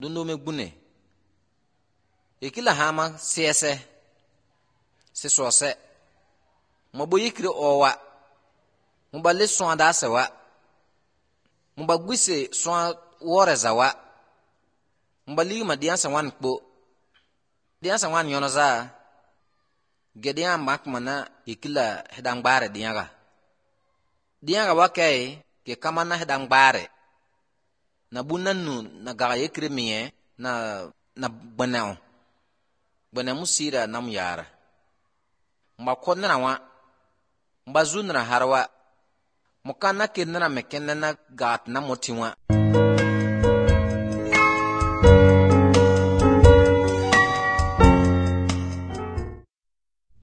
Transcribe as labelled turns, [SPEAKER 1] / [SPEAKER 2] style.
[SPEAKER 1] dundo me gbune ikila hama siese se sose mo bo yikri owa mo ba le so da sewa mo ba gwise so wore zawa mo ba li ma diansa wan kpo diansa wan yono za gedia makmana ikila hedang bare dianga wakai ke kamana hedang bare na bunanu na ga yekre miye na bana musira nam yara mba konna wa mba zunra harwa mukana kinna mekenna gat na motiwa